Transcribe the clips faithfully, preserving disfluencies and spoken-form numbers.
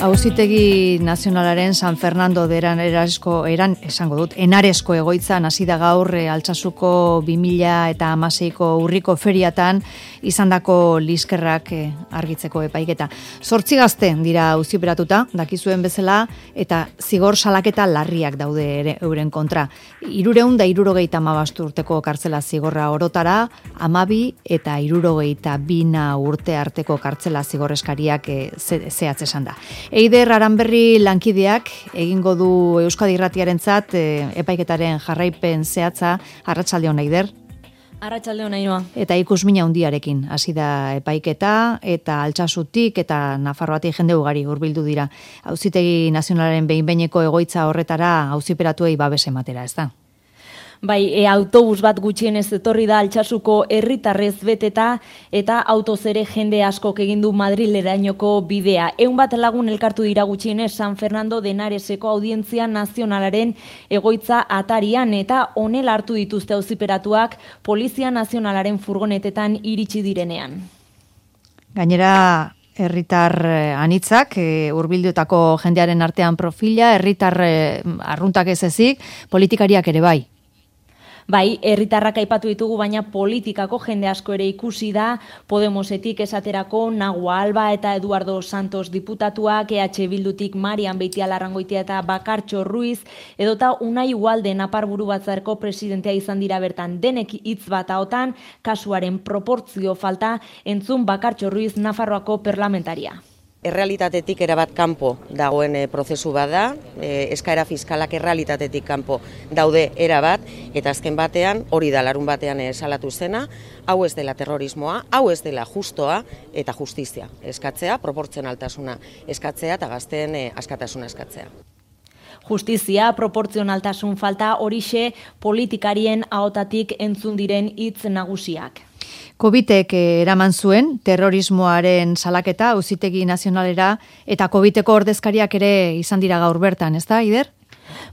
Auzitegi Nazionalaren San Fernando de eran erasko eran esango dut Enaresko egoitzan hasi da gaur e, Altsasuko bi mila hamaseiko urriko feriatan izandako liskerrak e, argitzeko epaiketa. Zortzi gazte dira auziperatuta, dakizuen bezala, eta zigor salaketa larriak daude ere euren kontra. Hirurehun da hirurogeita hamabost urteko kartzela zigorra orotara, hamabi eta hirurogeita bina urte arteko kartzela zigorreskariak e, zehatz esan da. Eider Aranberri lankideak egingo du Euskadi Irratiarentzat e, epaiketaren jarraipen zehatza. Arratsalde on, Eider. Arratsalde on, Ainhoa. Eta ikusmina handiarekin hasi da epaiketa eta Altsasutik eta Nafarroatik jende ugari hurbildu dira. Auzitegi Nazionalaren behin-behineko egoitza horretara auziperatuei babes ematera, ezta? Bai, e, autobus bat gutxienez etorri da Altsasuko herritarrez beteta eta autoz ere jende askok egin du Madrilerainoko bidea. Ehun bat lagun elkartu dira gutxienez San Fernando de Henareseko Audientzia Nazionalaren egoitza atarian eta honela hartu dituzte auziperatuak Polizia Nazionalaren furgonetetan iritsi direnean. Gainera, herritar anitzak, e, hurbilduetako jendearen artean profila, herritar e, arruntak ez ezik, politikariak ere bai. Bai, herritarrak aipatu ditugu, baina politikako jende asko ere ikusi da, Podemosetik esaterako Nagua Alba eta Eduardo Santos diputatuak, E H Bildutik Marian Beitialarrangoitia eta Bakartxo Ruiz, edota Unai Ugalde Naparburu Batzarreko presidentea izan dira bertan. Denek hitz bat ahotan, kasuaren proportzio falta, entzun Bakartxo Ruiz Nafarroako parlamentaria. Errealitatetik erabat kanpo dagoen e, prozesu bat da, e, eskaera fiskalak errealitatetik kanpo daude erabat, eta azken batean, hori da larun batean e, salatu zena, hau ez dela terrorismoa, hau ez dela justoa eta justizia eskatzea, proportzionaltasuna eskatzea eta gazteen e, askatasuna eskatzea. Justizia, proportzionaltasun falta, horixe politikarien ahotatik entzun diren hitz nagusiak. Covitek eraman zuen terrorismoaren salaketa Auzitegi Nazionalera eta Covideko ordezkariak ere izan dira gaur bertan, ezta, Eider?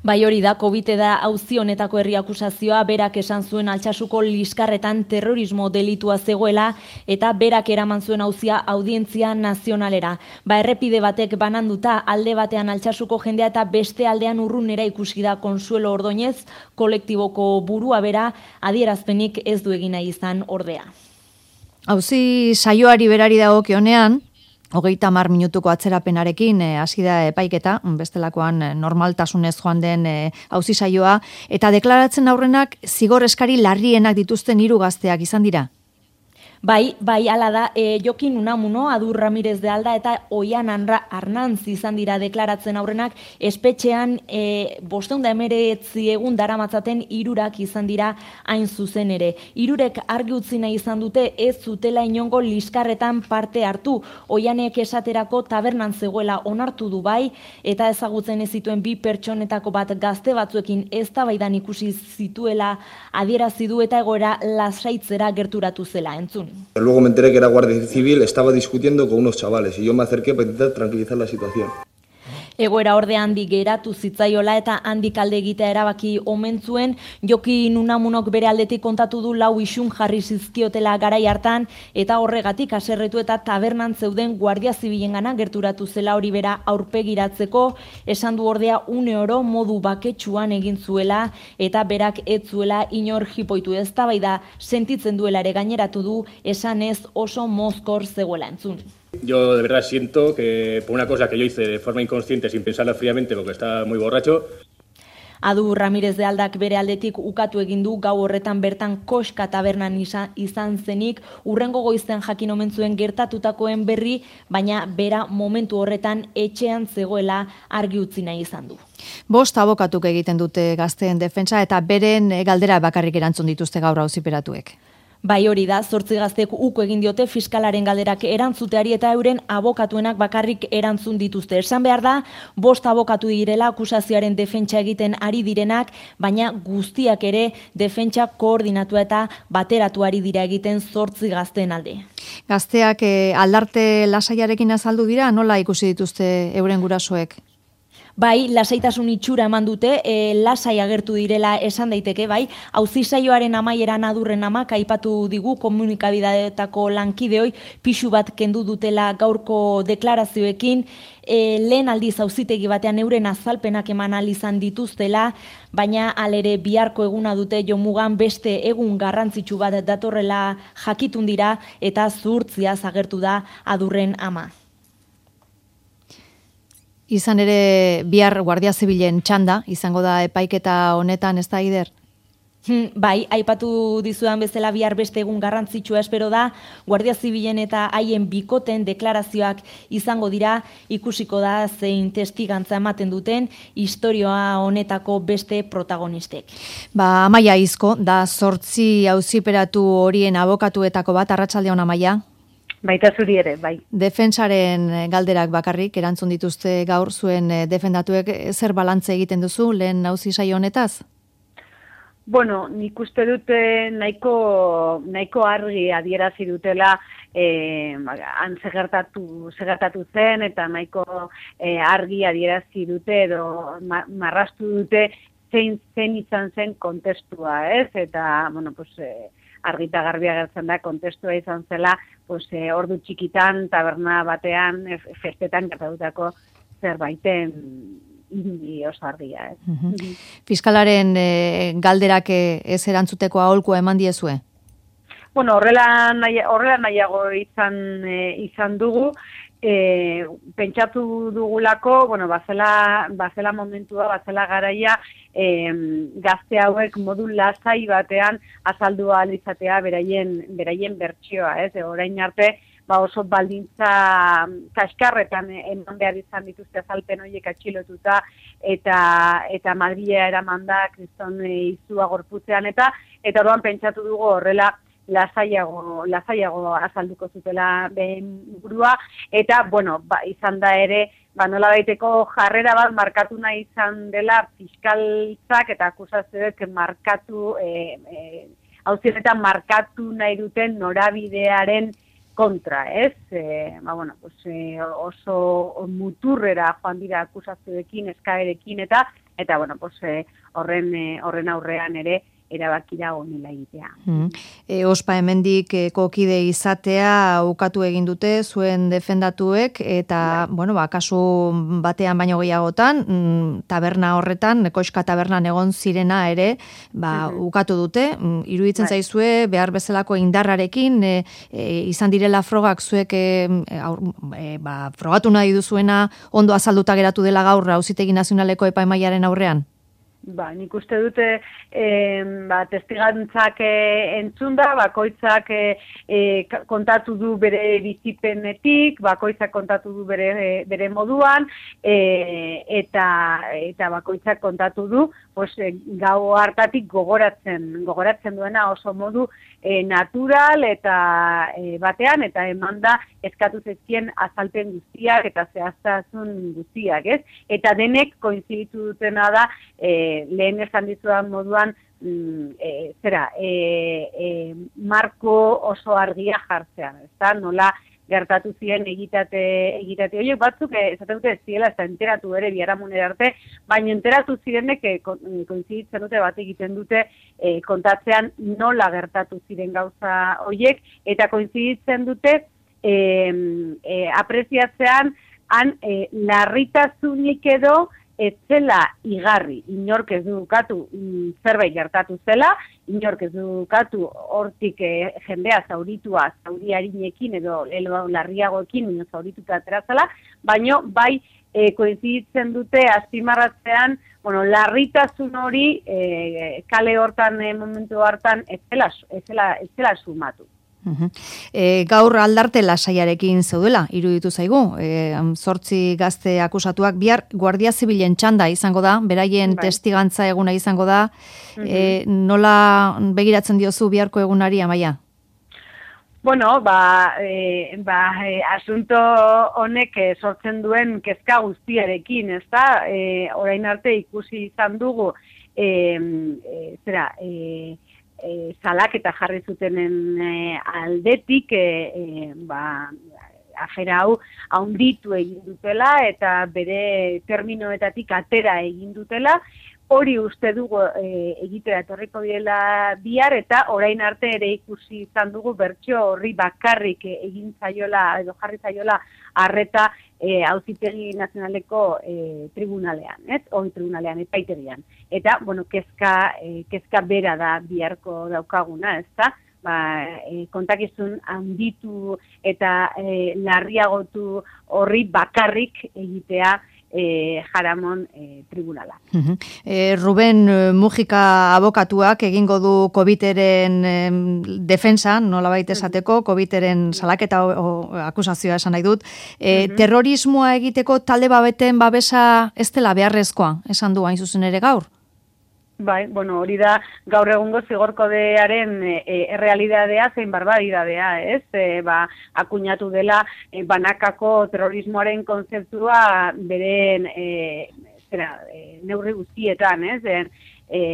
Bai, hori da, Covid da auzi honetako herri akusazioa, berak esan zuen Altsasuko liskarretan terrorismo delitua zegoela eta berak eraman zuen auzia Audientzia Nazionalera. Ba, errepide batek bananduta alde batean Altsasuko jendea eta beste aldean urrunera ikusi da Consuelo Ordoñez, kolektiboko burua bera, adierazpenik ez du egin nahi izan ordea. Auzi saioari berari dagokionean, hogeita hamar minutuko atzerapenarekin hasi e, da epaiketa, bestelakoan e, normaltasunez joan den e, auzi saioa, eta deklaratzen aurrenak zigor eskari larrienak dituzten hiru gazteak izan dira. Bai, bai, ala da, e, Jokin Unamuno, Adur Ramirez de Alda eta Oian Arnantz izan dira deklaratzen aurrenak, espetxean e, bosteun da emeretzi egun daramatzaten hirurak izan dira hain zuzen ere. Hirurek argi utzi nahi izan dute ez zutela inongo liskarretan parte hartu. Oianek esaterako tabernan zegoela onartu du bai, eta ezagutzen ez zituen bi pertsonetako bat gazte batzuekin eztabaidan ikusi zituela adierazi du eta egoera lasaitzera gerturatu zela, entzun. Luego me enteré que era Guardia Civil, estaba discutiendo con unos chavales y yo me acerqué para intentar tranquilizar la situación. Egoera orde handi geratu zitzaiola eta handik alde egitea erabaki omen zuen. Jokin Unamunok bere aldetik kontatu du lau isun jarri zizkiotela garai hartan eta horregatik haserretu eta tabernan zeuden Guardia Zibilengana gerturatu zela hori bera aurpegiratzeko, esan du ordea une oro modu baketsuan egin zuela eta berak ez zuela inor jipoitu, eztabaida sentitzen duela ere gaineratu du, esanez oso mozkor zegoela, entzun. Yo de verdad siento que por una cosa que yo hice de forma inconsciente sin pensarla fríamente porque estaba muy borracho. Adur Ramirez de Aldak bere aldetik ukatu egin du gau horretan bertan Koska tabernan izan zenik, urrengo goizten jakin omen zuen gertatutakoen berri, baina bera momentu horretan etxean zegoela argi utzi nahi izan du. Bost abokatuk egiten dute gazteen defentsa eta beren galdera bakarrik erantzun dituzte gaur auziperatuek. Bai, hori da, zortzi gaztek uko egin diote fiskalaren galderak erantzuteari eta euren abokatuenak bakarrik erantzun dituzte. Esan behar da, bost abokatu direla akusazioaren defentsa egiten ari direnak, baina guztiak ere defentsa koordinatua eta bateratuari dira egiten zortzi gazteen alde. Gazteak eh, aldarte lasaiarekin azaldu dira, nola ikusi dituzte euren gurasoek? Bai, lasaitasun itxura eman dute, e, lasai agertu direla esan daiteke, bai, auzisaioaren amaieran adurren amak aipatu digu komunikabideetako lankideoi pixu bat kendu dutela gaurko deklarazioekin, e, lehen aldiz auzitegi batean euren azalpenak eman ahal izan dituztela, baina alere biharko eguna dute jomugan beste egun garrantzitsu bat datorrela jakitun dira eta zuhurtziaz agertu da adurren ama. Izan ere bihar Guardia Zibilen txanda, izango da epaiketa honetan, ez da, Ider? Hmm, bai, aipatu dizudan bezala bihar beste egun garrantzitsua espero da, Guardia Zibilen eta haien bikoten deklarazioak izango dira, ikusiko da zein testigantza ematen duten istorioa honetako beste protagonistek. Ba, Amaia Izko, da zortzi auziperatu horien abokatuetako bat, arratsaldeon Amaia? Baita zuri ere, bai. Defentsaren galderak bakarrik erantzun dituzte gaur zuen defendatuek, zer balantze egiten duzu lehen auzi saio honetaz? Bueno, nik uste dute nahiko, nahiko argi adierazi dutela eh, han segertatu, segertatu zen eta nahiko eh, argi adierazi dute edo ma, marrastu dute zein zen izan zen kontestua, ez? Eta, bueno, pues, eh, argita garbia gertzen da kontestua izan zela, pues, eh, ordu txikitan, taberna batean, festetan gertatutako zerbaiten indi oso argia. Ez? Uh-huh. Fiskalaren eh, galderak ez erantzuteko aholkua eman diezue? Bueno, horrela, nahi, horrela nahiago izan, e, izan dugu, e, pentsatu dugulako, bueno, bazela, bazela momentua, bazela garaia, e, gazte hauek modu lasai batean azaldu ahal izatea beraien, beraien bertsioa, ez? E, orain arte, ba oso baldintza kaskarretan eman behar izan dituzte azalpen horiek atxilotuta eta eta Madrilera eramanda kriston izua gorputzean eta eta orduan pentsatu dugu horrela lasaiago lasaiago azalduko zutela behen burua eta bueno, ba, izan da ere ba nola daiteko jarrera bat markatu nahi izan dela fiskaltzak eta akusazioek markatu eh eh auzietan markatu nahi duten norabidearen kontra, ez? E, ba, bueno, pues, e, oso muturrera joan dira akusazioekin, eskaerekin eta eta bueno, pues, e, horren e, horren aurrean ere erabakira honela egitea. Hmm. E, ospa hemendik e, kokide izatea ukatu egin dute zuen defendatuek eta bai. Bueno, ba, kasu batean baino gehiagotan, mm, taberna horretan, koxka tabernan egon zirena ere, ba, uh-huh. ukatu dute, mm, iruditzen bai. Zaizue behar bezalako indarrarekin e, e, izan direla frogak zuek e, e, ba, frogatu nahi duzuena ondo azalduta geratu dela gaur Auzitegi Nazionaleko epaimahaiaren aurrean? Ba, nik uste dute e, ba, testigantzak e, entzunda, bakoitzak e, e, kontatu du bere bizipenetik, bakoitzak kontatu du bere, e, bere moduan, e, eta, eta bakoitzak kontatu du pues, e, gau hartatik gogoratzen, gogoratzen duena oso modu e, natural eta e, batean, eta emanda eskatu zezkien azalpen guztiak eta zehaztasun guztiak, ez? Eta denek koinziditu dutena da, e, lehen esan dizudan moduan, mm, e, zera, e, e, marko oso argia jartzean, ezta? Nola gertatu ziren egitate, egitate horiek batzuk, esaten dute ez ziela, ez da enteratu ere biharamunera arte, baina enteratu zirenek e, koinziditzen dute bat egiten dute e, kontatzean nola gertatu ziren gauza horiek, eta koinziditzen dute e, e, apreziatzean han e, larritasunik edo ez zela igarri, inork ez dukatu mm, zerbait gertatu zela, inork ez dukatu hortik eh, jendea zauritua, zauri harinekin edo elo larriagoekin, ino zaurituta aterazela, baino bai eh, koinziditzen dute azpimarratzean, bueno, larritasun hori eh, kale hortan eh, momentu hartan ez zela, ez zela, ez zela sumatu. Uh-huh. E, gaur aldarte lasaiarekin zeudela, iruditu zaigu, e, zortzi gazte akusatuak, bihar Guardia Zibilen txanda izango da, beraien bai. Testigantza eguna izango da, uh-huh. e, nola begiratzen diozu biharko egunari, Amaia? Bueno, ba, e, ba e, asunto honek e, sortzen duen kezka guztiarekin, ezta? E, orain arte ikusi izan dugu, e, e, zera, e, E, salak eta jarri zutenen e, aldetik e, e, ba, afera hau haunditu egin dutela eta bere terminoetatik atera egin dutela. Hori uste dugu e, egitera etorriko direla bihar eta orain arte ere ikusi izan dugu bertsio horri bakarrik egin zaiola edo jarri zaiola arreta e, Auzitegi Nazionaleko e, tribunalean, ez? Hori tribunalean epaitegian. Eta bueno, kezka e, kezka bera da biharko daukaguna, ezta? Ba, e, kontakizun handitu eta e, larriagotu horri bakarrik egitea E, Jaramon e, tribunala. Uh-huh. e, Ruben Mujika abokatuak egingo du COVIDeren e, defensa, nolabait esateko, COVIDeren salaketa o, o, akusazioa esan nahi dut. E, uh-huh. Terrorismoa egiteko talde babeten babesa ez dela beharrezkoa, esan du hain zuzen ere gaur? Bai, bueno, hori da gaur egungo zigorkodearen e, errealidadea zein barbaridadea, ez? E, ba, akuñatu dela e, banakako terrorismoaren kontzeptua beren e, zera, e, neurri guztietan, ez? E, e,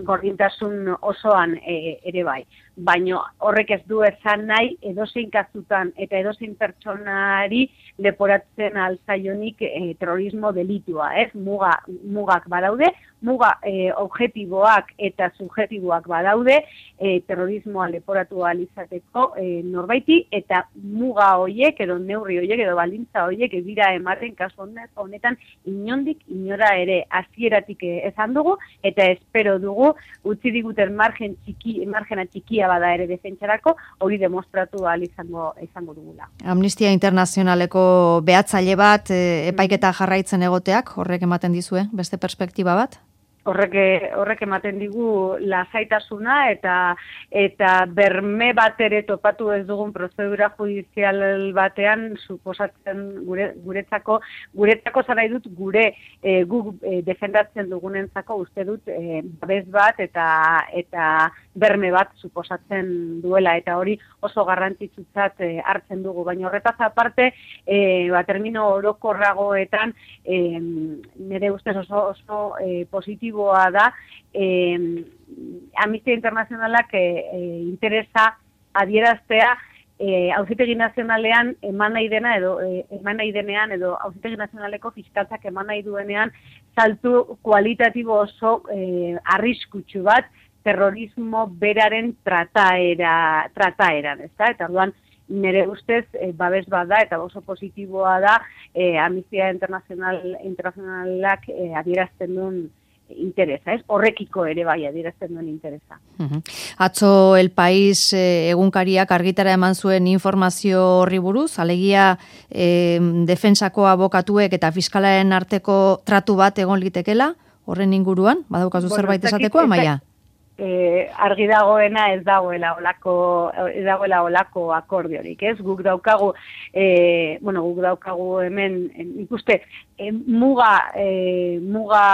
gordintasun osoan e, ere bai. Baino horrek ez du esan nahi edozein kasutan eta edozein pertsonari leporatzen alzaionik e, terrorismo delitua, ez? Muga, mugak badaude, muga e, objektiboak eta subjektiboak badaude, e, terrorismoa leporatu alizateko e, norbaiti, eta muga hoiek edo neurri hoiek edo baldintza hoiek ez dira ematen kasu honetan inondik inora ere hasieratik esan dugu, eta espero dugu utzi diguten margen txiki, margena txikia bada ere defentsarako, hori demostratu ahal izango, izango dugula. Amnistia Internazionaleko behatzaile bat e, epaiketa jarraitzen egoteak, horrek ematen dizue, beste perspektiba bat? Horrek, horrek ematen digu lasaitasuna eta eta berme bat ere topatu ez dugun prozedura judizial batean suposatzen gure, guretzako, guretzako zara dut gure e, gu e, defendatzen dugunentzako uste dut e, babes bat eta eta berme bat suposatzen duela, eta hori oso garrantzitsutzat e, hartzen dugu, baina horretaz aparte e, ba, termino orokorragoetan e, nire ustez oso, oso e, positibo da, eh, Amnistia Internazionalak eh, eh, interesa adieraztea eh, Auzitegi Nazionalean eman nahi dena edo eh, eman nahi denean edo Auzitegi Nazionaleko fiskaltzak eman nahi duenean saltu kualitatibo oso eh, arriskutsu bat terrorismo beraren trataera, trataeran, ezta? Eta orduan nire ustez e, babes bat da eta oso positiboa da e, Amnistia Internazional, Internazionalak e, adierazten duen interesa, ez? Horrekiko ere bai adierazten duen interesa. Uh-huh. Atzo El País eh, egunkariak argitara eman zuen informazio horri buruz, alegia eh, defensako abokatuek eta fiskalaren arteko tratu bat egon litekela, horren inguruan, badaukazu bueno, zerbait esateko, Amaia? Eh, argi dagoena ez dagoela olako ez dagoela olako akordiorik, ez? Guk daukagu eh, bueno, guk daukagu hemen ikuste eh, muga eh, muga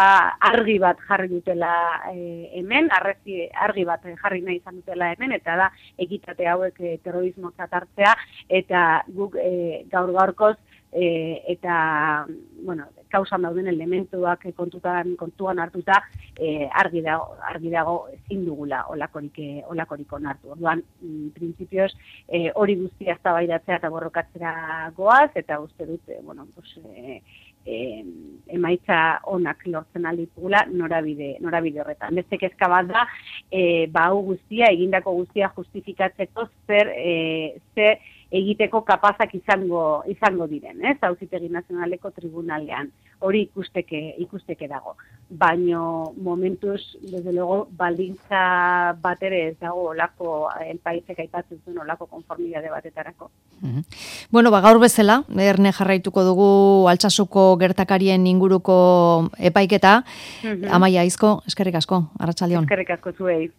argi bat jarri dutela eh, hemen, arrezi argi bat jarri nahi izan dutela hemen, eta da ekitate hauek eh, terrorismotzat hartzea, eta guk eh, gaur gaurkoz E, eta, bueno, kausan dauden elementuak kontutan, kontuan hartuta e, argi dago, argi dago ezin dugula olakorik, olakorik onartu. Orduan, printzipioz, e, hori guztia eztabaidatzea eta borrokatzera goaz, eta uste dut, e, bueno, pues, e, e, emaitza onak lortzen alditugula norabide, norabide horretan. Beste kezka bat da, e, ba, hau guztia, egindako guztia justifikatzeko zer, e, zer egiteko kapazak izango izango diren, ez? Auzitegi Nazionaleko tribunalean. Hori ikusteke ikusteke dago. Baino momentuz, desde luego, baldintza bat ere ez dago olako El Paisek aipatzen zuen olako konformidade batetarako. Uh-huh. Bueno, ba gaur bezala, erne jarraituko dugu Altsasuko gertakarien inguruko epaiketa. Uh-huh. Amaia Aizko, eskerrik asko, arratsaldeon. Eskerrik asko zuei.